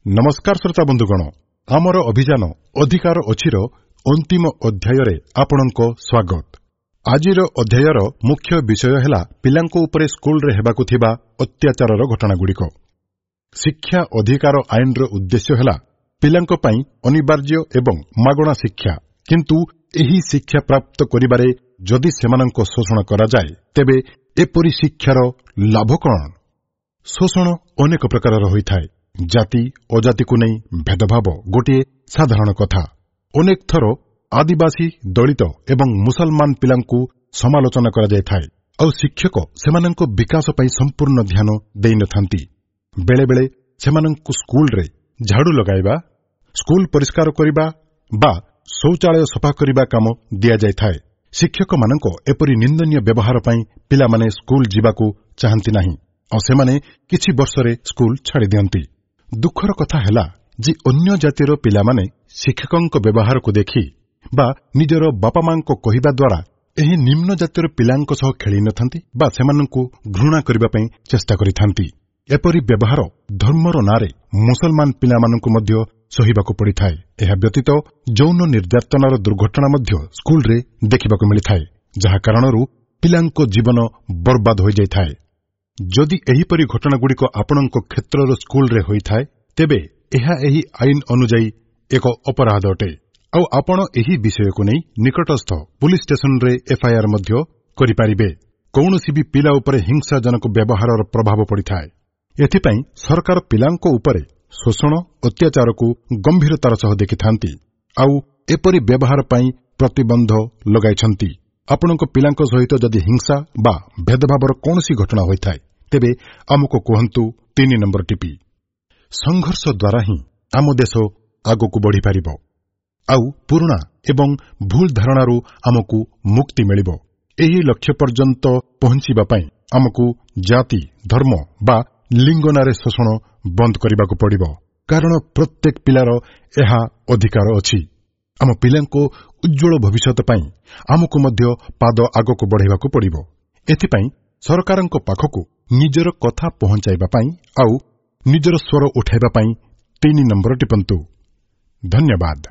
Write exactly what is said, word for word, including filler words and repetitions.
ନମସ୍କାର ଶ୍ରୋତା ବନ୍ଧୁଗଣ, ଆମର ଅଭିଯାନ ଅଧିକାର ଅଛିର ଅନ୍ତିମ ଅଧ୍ୟାୟରେ ଆପଣଙ୍କ ସ୍ୱାଗତ। ଆଜିର ଅଧ୍ୟାୟର ମୁଖ୍ୟ ବିଷୟ ହେଲା ପିଲାଙ୍କ ଉପରେ ସ୍କୁଲରେ ହେବାକୁ ଥିବା ଅତ୍ୟାଚାରର ଘଟଣାଗୁଡ଼ିକ। ଶିକ୍ଷା ଅଧିକାର ଆଇନର ଉଦ୍ଦେଶ୍ୟ ହେଲା ପିଲାଙ୍କ ପାଇଁ ଅନିବାର୍ଯ୍ୟ ଏବଂ ମାଗଣା ଶିକ୍ଷା, କିନ୍ତୁ ଏହି ଶିକ୍ଷା ପ୍ରାପ୍ତ କରିବାରେ ଯଦି ସେମାନଙ୍କ ଶୋଷଣ କରାଯାଏ ତେବେ ଏପରି ଶିକ୍ଷାର ଲାଭ କଣ? ଶୋଷଣ ଅନେକ ପ୍ରକାରର ହୋଇଥାଏ। ଜାତି ଅଜାତିକୁ ନେଇ ଭେଦଭାବ ଗୋଟିଏ ସାଧାରଣ କଥା। ଅନେକ ଥର ଆଦିବାସୀ, ଦଳିତ ଏବଂ ମୁସଲମାନ ପିଲାଙ୍କୁ ସମାଲୋଚନା କରାଯାଇଥାଏ, ଆଉ ଶିକ୍ଷକ ସେମାନଙ୍କ ବିକାଶ ପାଇଁ ସମ୍ପୂର୍ଣ୍ଣ ଧ୍ୟାନ ଦେଇନଥାନ୍ତି। ବେଳେବେଳେ ସେମାନଙ୍କୁ ସ୍କୁଲରେ ଝାଡୁ ଲଗାଇବା, ସ୍କୁଲ ପରିଷ୍କାର କରିବା ବା ଶୌଚାଳୟ ସଫା କରିବା କାମ ଦିଆଯାଇଥାଏ। ଶିକ୍ଷକମାନଙ୍କ ଏପରି ନିନ୍ଦନୀୟ ବ୍ୟବହାର ପାଇଁ ପିଲାମାନେ ସ୍କୁଲ ଯିବାକୁ ଚାହାନ୍ତି ନାହିଁ, ଆଉ ସେମାନେ କିଛି ବର୍ଷରେ ସ୍କୁଲ ଛାଡ଼ିଦିଅନ୍ତି। ଦୁଃଖର କଥା ହେଲା ଯେ ଅନ୍ୟ ଜାତିର ପିଲାମାନେ ଶିକ୍ଷକଙ୍କ ବ୍ୟବହାରକୁ ଦେଖି ବା ନିଜର ବାପାମାଙ୍କ କହିବା ଦ୍ୱାରା ଏହି ନିମ୍ନ ଜାତିର ପିଲାଙ୍କ ସହ ଖେଳିନଥାନ୍ତି ବା ସେମାନଙ୍କୁ ଘୃଣା କରିବା ପାଇଁ ଚେଷ୍ଟା କରିଥାନ୍ତି। ଏପରି ବ୍ୟବହାର ଧର୍ମର ନାଁରେ ମୁସଲମାନ ପିଲାମାନଙ୍କୁ ମଧ୍ୟ ସହିବାକୁ ପଡ଼ିଥାଏ। ଏହା ବ୍ୟତୀତ ଯୌନ ନିର୍ଯାତନାର ଦୁର୍ଘଟଣା ମଧ୍ୟ ସ୍କୁଲରେ ଦେଖିବାକୁ ମିଳିଥାଏ, ଯାହା କାରଣରୁ ପିଲାଙ୍କ ଜୀବନ ବର୍ବାଦ ହୋଇଯାଇଥାଏ। ଯଦି ଏହିପରି ଘଟଣାଗୁଡ଼ିକ ଆପଣଙ୍କ କ୍ଷେତ୍ରର ସ୍କୁଲରେ ହୋଇଥାଏ, ତେବେ ଏହା ଏହି ଆଇନ ଅନୁଯାୟୀ ଏକ ଅପରାଧ ଅଟେ, ଆଉ ଆପଣ ଏହି ବିଷୟକୁ ନେଇ ନିକଟସ୍ଥ ପୁଲିସ୍ ଷ୍ଟେସନରେ ଏଫ୍ଆଇଆର୍ ମଧ୍ୟ କରିପାରିବେ। କୌଣସି ବି ପିଲା ଉପରେ ହିଂସାଜନକ ବ୍ୟବହାରର ପ୍ରଭାବ ପଡ଼ିଥାଏ। ଏଥିପାଇଁ ସରକାର ପିଲାଙ୍କ ଉପରେ ଶୋଷଣ, ଅତ୍ୟାଚାରକୁ ଗମ୍ଭୀରତାର ସହ ଦେଖିଥାନ୍ତି, ଆଉ ଏପରି ବ୍ୟବହାର ପାଇଁ ପ୍ରତିବନ୍ଧ ଲଗାଇଛନ୍ତି। ଆପଣଙ୍କ ପିଲାଙ୍କ ସହିତ ଯଦି ହିଂସା ବା ଭେଦଭାବର କୌଣସି ଘଟଣା ହୋଇଥାଏ, ତେବେ ଆମକୁ କୁହନ୍ତୁ ତିନି ନମ୍ବର ଟିପି। ସଂଘର୍ଷ ଦ୍ୱାରା ହିଁ ଆମ ଦେଶ ଆଗକୁ ବଢ଼ିପାରିବ, ଆଉ ପୁରୁଣା ଏବଂ ଭୁଲ ଧାରଣାରୁ ଆମକୁ ମୁକ୍ତି ମିଳିବ। ଏହି ଲକ୍ଷ୍ୟ ପର୍ଯ୍ୟନ୍ତ ପହଞ୍ଚିବା ପାଇଁ ଆମକୁ ଜାତି, ଧର୍ମ ବା ଲିଙ୍ଗ ନାଁରେ ଶୋଷଣ ବନ୍ଦ କରିବାକୁ ପଡ଼ିବ, କାରଣ ପ୍ରତ୍ୟେକ ପିଲାର ଏହା ଅଧିକାର ଅଛି। ଆମ ପିଲାଙ୍କ ଉଜ୍ଜ୍ୱଳ ଭବିଷ୍ୟତ ପାଇଁ ଆମକୁ ମଧ୍ୟ ପାଦ ଆଗକୁ ବଢ଼ାଇବାକୁ ପଡ଼ିବ। ଏଥିପାଇଁ ସରକାରଙ୍କ ପାଖକୁ ନିଜର କଥା ପହଞ୍ଚାଇବା ପାଇଁ ଆଉ ନିଜର ସ୍ୱର ଉଠାଇବା ପାଇଁ ତିନି ନମ୍ବର ଟିପନ୍ତୁ। ଧନ୍ୟବାଦ।